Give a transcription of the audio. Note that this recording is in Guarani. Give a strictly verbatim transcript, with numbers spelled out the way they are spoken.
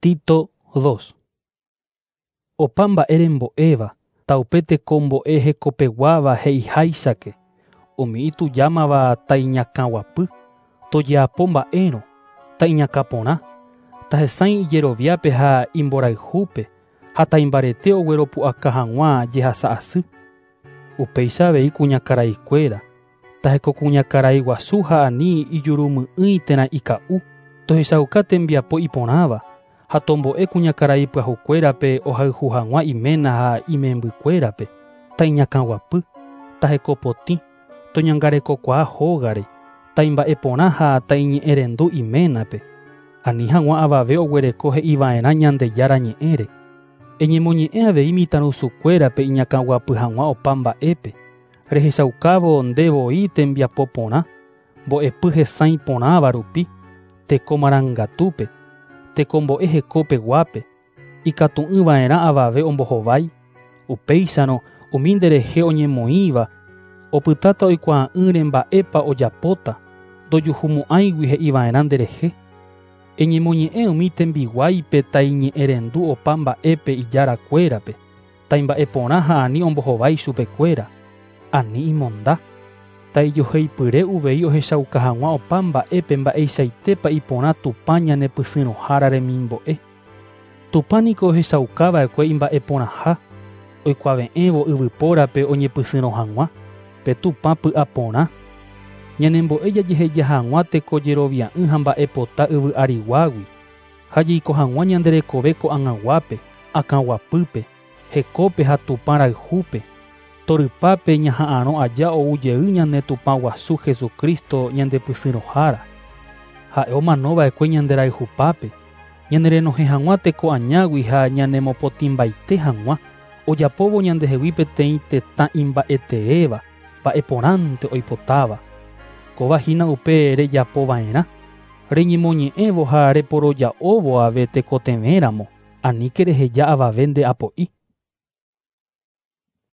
Tito dos. Opa mba'e rembo'éva, taupe tekombo'e hekopeguáva he'iháichake, umi itujámava taiñakãguapy, tojeapo mba'érõ, taiñakãporã, tahesãi ijeroviápe ha imborayhúpe, ha taimbarete ogueropu'aka hag̃ua jehasa asy. Upéicha avei kuñakaraikuéra, tahekokuñakaraiguasu ha ani ijurumy'ỹi térã ika'u, tohechauka tembiapo iporãva, ha tombo'e kuñakarai pyahukuérape ohayhu hag̃ua iména ha imembykuérape, taiñakãguapy, tahekopotĩ, toñangarekokuaa hógare, taimba'eporã ha taiñe'ẽrendu iménape, ani hag̃ua avave oguereko he'iva'erã Ñandejára ñe'ẽre. Eñemoñe'ẽ avei mitãrusukuérape iñakãguapy hag̃ua opa mba'épe, rehechaukávo ndevoi tembiapo porã, mbo'epy hesãi porãva rupi, teko marangatúpe, tekombo'e hekopeguápe, ikatu'ỹva'erã avave ombohovái, upéicharõ umi nderehe oñemoĩva, opytáta oikuaa'ỹre mba'épa ojapóta, ndojuhumo'ãigui he'iva'erã nderehe. Eñemoñe'ẽ umi tembiguáipe taiñe'ẽrendu opa mba'épe ijarakuérape, taimba'eporã ha ani ombohovái chupekuéra, ani imonda, taijoheipyre uvei ohechauka hag̃ua opa mba'épe mba'eichaitépa iporã Tupã ñanepysyrõhára remimbo'e. Tupã niko ohechaukava'ekue imba'eporãha, oikuave'ẽvo yvypórape oñepysyrõ hag̃ua, pe Tupã py'aporã. Ñanembo'e jajeheja hag̃ua tekojerovia'ỹ ha mba'epota yvy ariguágui, ha jaiko hag̃ua ñande rekove ko'ag̃aguápe, akãguapýpe, hekópe ha Tupã rayhúpe, torypápe ñaha'arõ aja ou jey ñane Tupã guasu Jesucristo ñandepysyrõhára. Ha'e omanova'ekue ñande rayhupápe, ñanerenohẽ hag̃ua teko añágui ha ñanemopotĩmbaite hag̃ua, ojapóvo ñandehegui peteĩ tetã imba'eteéva, mba'eporãnte oipotáva. Kóva hína upe rejapova'erã, reñemoñe'ẽvo ha reporoja'óvo ave tekotevẽramo, aníke reheja avave ndeapo'i.